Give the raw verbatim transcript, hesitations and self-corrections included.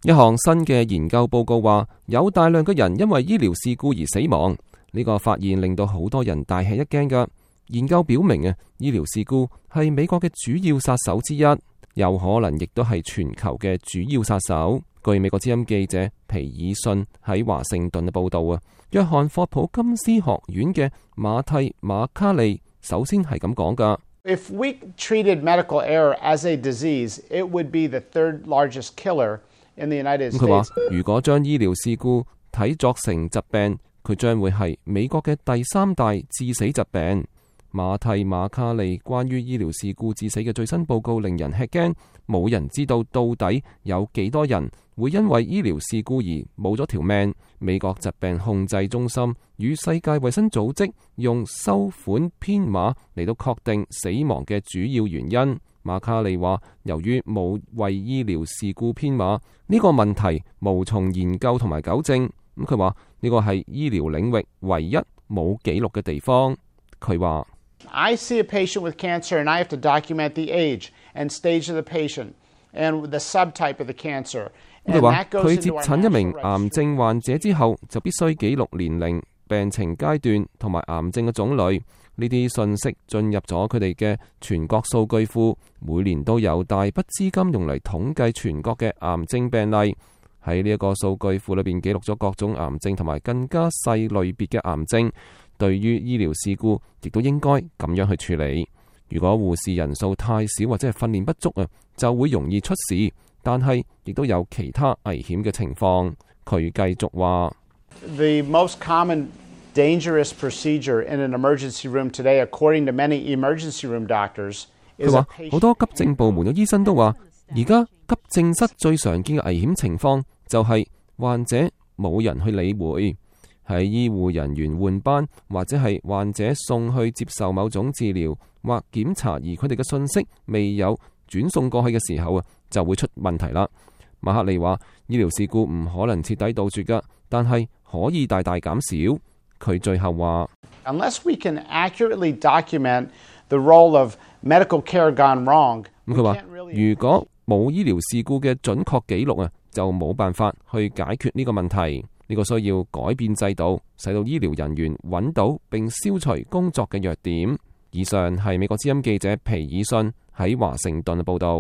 一項新嘅研究報告話，有大量嘅人因為醫療事故而死亡。呢個發現令到好多人大吃一驚㗎。研究表明啊，醫療事故係美國嘅主要殺手之一，有可能亦都係全球嘅主要殺手。據美國之音記者皮爾遜喺華盛頓嘅報道啊，約翰霍普金斯學院嘅馬蒂馬卡利首先係咁講㗎。If we treated medical error as a disease, it would be the third largest killer in the United States。佢話：如果將醫療事故睇作成疾病，佢將會係美國嘅第三大致死疾病。馬蒂馬卡利關於醫療事故致死嘅最新報告令人吃驚，冇人知道到底有幾多人會因為醫療事故而冇咗條命。美國疾病控制中心與世界衛生組織用收款編碼嚟到確定死亡嘅主要原因。馬卡利話，由於冇為醫療事故編碼，呢個問題無從研究同埋糾正。咁佢話呢個係醫療領域唯一冇記錄嘅地方。佢話I see a patient with cancer and I have to document the age and stage of the patient and the subtype of the cancer。佢話佢接診一名癌症患者之後，就必須記錄年齡、病情階段同埋癌症嘅種類。呢啲信息進入咗佢哋嘅全國數據庫，每年都有大筆資金用嚟統計全國嘅癌症病例。喺呢一個數據庫裏邊記錄咗各種癌症同埋更加細類別嘅癌症。對於醫療事故，亦都應該咁樣去處理。如果護士人數太少或者係訓練不足啊，就會容易出事。但係亦都有其他危險嘅情況。佢繼續話 The most common dangerous procedure in an emergency room today, according to many emergency room doctors， 佢話好多急症部門嘅醫生都話，而家急症室最常見嘅危險情況就係患者冇人去理會。喺醫護人員換班或者係患者送去接受某種治療或檢查，而佢哋嘅信息未有轉送過去嘅時候啊，就會出問題啦。馬克利話：醫療事故唔可能徹底杜絕㗎，但係可以大大減少。佢最後話 Unless we can accurately document the role of medical care gone wrong， 咁佢話如果冇醫療事故嘅準確記錄啊，就冇辦法去解決呢個問題。呢個需要改變制度，使到醫療人員揾到並消除工作嘅弱點。以上係美國之音記者皮爾遜喺華盛頓嘅報道。